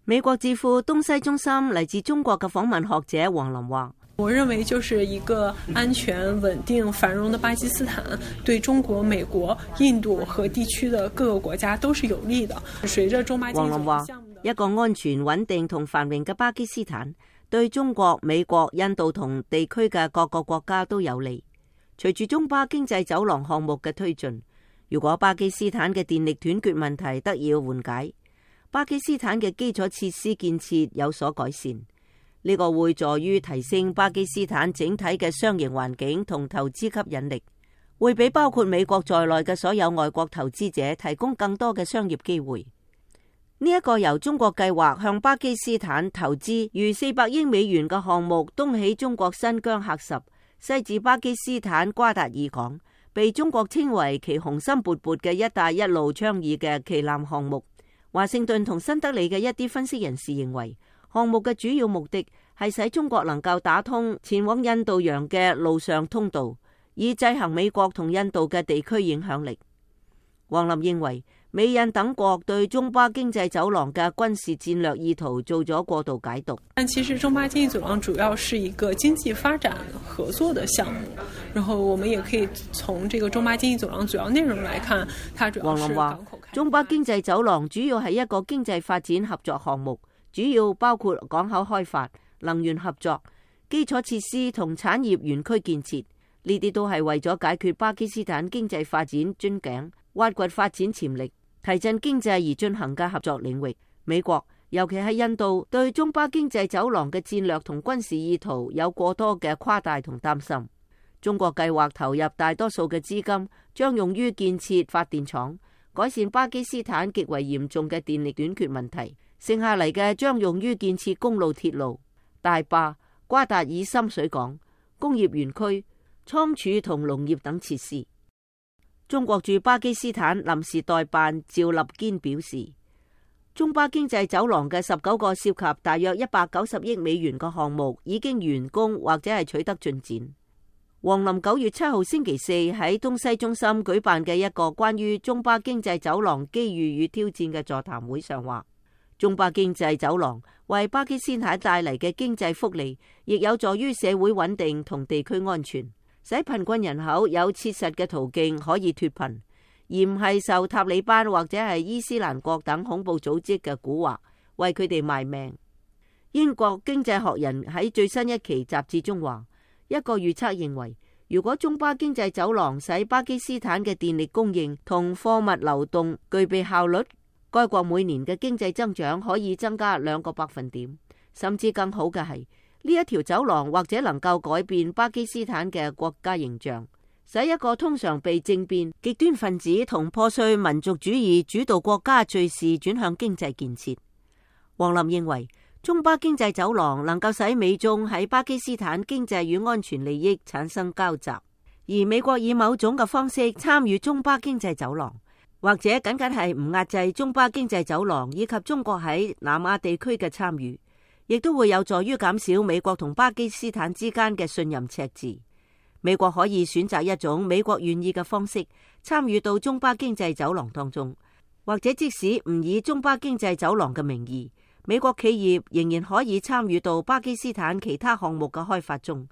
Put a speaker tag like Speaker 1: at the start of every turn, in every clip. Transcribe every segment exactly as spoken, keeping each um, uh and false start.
Speaker 1: 美國智庫東西中心嚟自中國嘅訪問學者黃琳話：
Speaker 2: 我認為就是一個安全、穩定、繁榮的巴基斯坦，對中國、美國、印度和地區的各個國家都是有利的。隨着中巴經濟
Speaker 1: 黃琳話：一個安全、穩定同繁榮嘅巴基斯坦，對中國、美國、印度同地區嘅各個國家都有利。隨住中巴經濟走廊項目嘅推進，如果巴基斯坦嘅電力斷絕問題得以緩解，巴基斯坦嘅基礎設施建設有所改善，呢個會助於提升巴基斯坦整體嘅商業環境同投資吸引力，會俾包括美國在內嘅所有外國投資者提供更多嘅商業機會。呢一個由中國計劃向巴基斯坦投資逾四百億美元嘅項目，東起中國新疆喀什，西至巴基斯坦瓜達爾港，被中國稱為其雄心勃勃嘅一帶一路倡議嘅旗艦項目。華盛頓同新德里嘅一啲分析人士認為，項目嘅主要目的係使中國能夠打通前往印度洋嘅陸上通道，以制衡美國同印度嘅地區影響力。黃琳認為，美印等國對中巴經濟走廊嘅軍事戰略意圖做咗過度解讀。
Speaker 2: 但其實中巴經濟走廊主要是一個經濟發展合作的項目，然後我們也可以從這個中巴經濟走廊主要內容來看，它主要是港口開發。
Speaker 1: 中巴經濟走廊主要係一個經濟發展合作項目，主要包括港口開發、能源合作、基礎設施同產業園區建設，呢啲都係為咗解決巴基斯坦經濟發展樽頸、挖掘發展潛力、提振經濟而進行嘅合作領域。美國尤其係印度對中巴經濟走廊嘅戰略同軍事意圖有過多嘅誇大同擔心。中國計劃投入大多數嘅資金，將用於建設發電廠，改善巴基斯坦極為嚴重嘅電力短缺問題。剩下嚟嘅將用於建設公路、鐵路、大壩、瓜達爾深水港、工業園區、倉儲同農業等設施。中國駐巴基斯坦臨時代辦趙立堅表示，中巴經濟走廊嘅十九個涉及大約一百九十億美元嘅項目已經完工或者係取得進展。黃琳九月七號星期四喺東西中心舉辦嘅一個關於中巴經濟走廊機遇與挑戰嘅座談會上話，中巴經濟走廊為巴基斯坦帶嚟嘅經濟福利，亦有助於社會穩定同地區安全，使貧困人口有切實嘅途徑可以脫貧，而唔係受塔利班或者係伊斯蘭國等恐怖組織嘅蠱惑，為佢哋賣命。英國經濟學人喺最新一期雜誌中話，一個預測認為，如果中巴經濟走廊使巴基斯坦嘅電力供應同貨物流動具備效率，該國每年嘅經濟增長可以增加兩個百分點，甚至更好嘅係，呢一條走廊或者能夠改變巴基斯坦嘅國家形象，使一個通常被政變、極端分子同破碎民族主義主導國家敘事轉向經濟建設。黃琳認為，中巴經濟走廊能夠使美中喺巴基斯坦經濟與安全利益產生交集，而美國以某種嘅方式參與中巴經濟走廊，或者僅僅係唔壓制中巴經濟走廊以及中國喺南亞地區嘅參與，亦都會有助於減少美國同巴基斯坦之間嘅信任赤字。美國可以選擇一種美國願意嘅方式參與到中巴經濟走廊當中，或者即使唔以中巴經濟走廊嘅名義，美國企業仍然可以參與到巴基斯坦其他項目嘅開發中。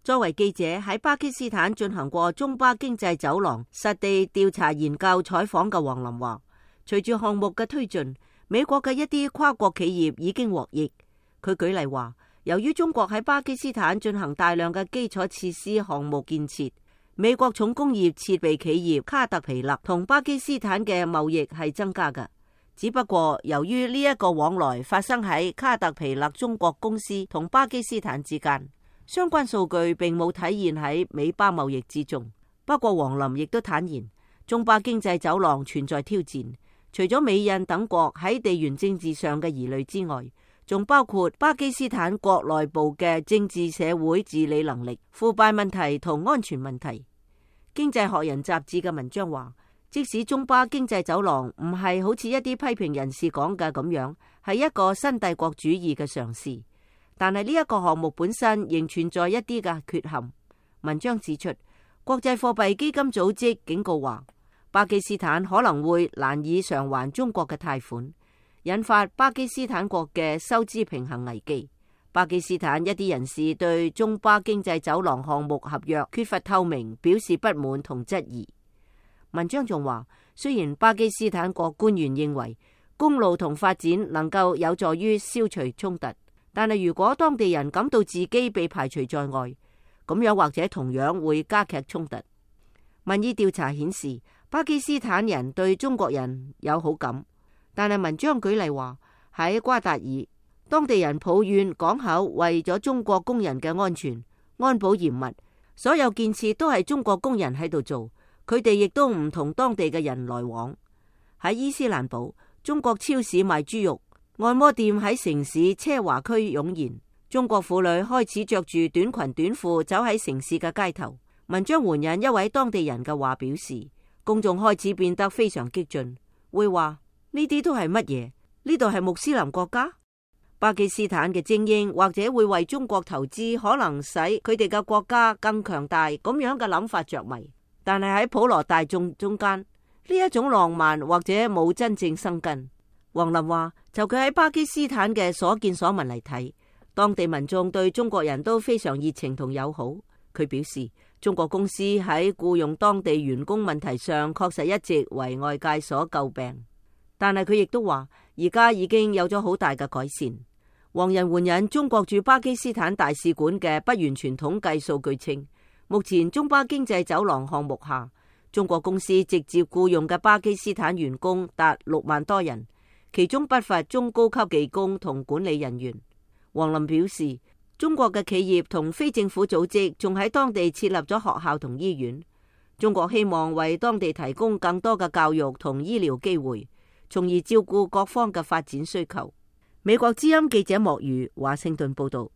Speaker 1: 作為記者喺巴基斯坦進行過中巴經濟走廊實地調查研究採訪嘅黃琳話，隨住項目嘅推進，美國嘅一啲跨國企業已經獲益。佢舉例話，由於中國喺巴基斯坦進行大量嘅基礎設施項目建設，美國重工業設備企業卡特皮勒同巴基斯坦嘅貿易係增加嘅。只不過由於呢一個往來發生喺卡特皮勒中國公司同巴基斯坦之間，相關數據並冇體現喺美巴貿易之中。不過黃琳亦都坦言，中巴經濟走廊存在挑戰，除咗美印等國喺地緣政治上嘅疑慮之外，仲包括巴基斯坦國內部嘅政治社會治理能力、腐敗問題同安全問題。經濟學人雜誌嘅文章話，即使中巴經濟走廊唔係好似一啲批評人士講嘅咁樣，係一個新帝國主義嘅嘗試，但係呢一個項目本身仍存在一啲嘅缺陷。文章指出，國際貨幣基金組織警告話，巴基斯坦可能會難以償還中國嘅貸款，引發巴基斯坦國嘅收支平衡危機。巴基斯坦一啲人士對中巴經濟走廊項目合約缺乏透明表示不滿同質疑。文章仲話，雖然巴基斯坦國官員認為公路同發展能夠有助於消除衝突，但係如果當地人感到自己被排除在外，咁樣或者同樣會加劇衝突。民意調查顯示，巴基斯坦人對中國人有好感，但係文章舉例話，喺瓜達爾，當地人抱怨港口為咗中國工人嘅安全安保嚴密，所有建設都係中國工人喺度做，佢哋亦都唔同當地嘅人來往。喺伊斯蘭堡，中國超市賣豬肉，按摩店喺城市奢華區湧現，中國婦女開始着住短裙短褲走喺城市嘅街頭。文章援引一位當地人嘅話表示，公眾開始變得非常激進，會話呢啲都係乜嘢？呢度係穆斯林國家？巴基斯坦嘅精英或者會為中國投資，可能使佢哋嘅國家更強大，咁樣嘅諗法着迷。但係喺普羅大眾中間，呢一種浪漫或者冇真正生根。黃林話，就佢喺巴基斯坦嘅所見所聞嚟睇，當地民眾對中國人都非常熱情同友好。佢表示，中國公司喺僱用當地員工問題上確實一直為外界所詬病。但係佢亦都話，而家已經有咗好大嘅改善。黃仁援引中國駐巴基斯坦大使館嘅不完全統計數據稱，目前中巴經濟走廊項目下，中國公司直接僱用嘅巴基斯坦員工達六萬多人，其中不乏中高級技工同管理人員。黃林表示，中國嘅企業同非政府組織仲喺當地設立咗學校同醫院。中國希望為當地提供更多嘅教育同醫療機會，從而照顧各方嘅發展需求。美國之音記者莫如華盛頓報道。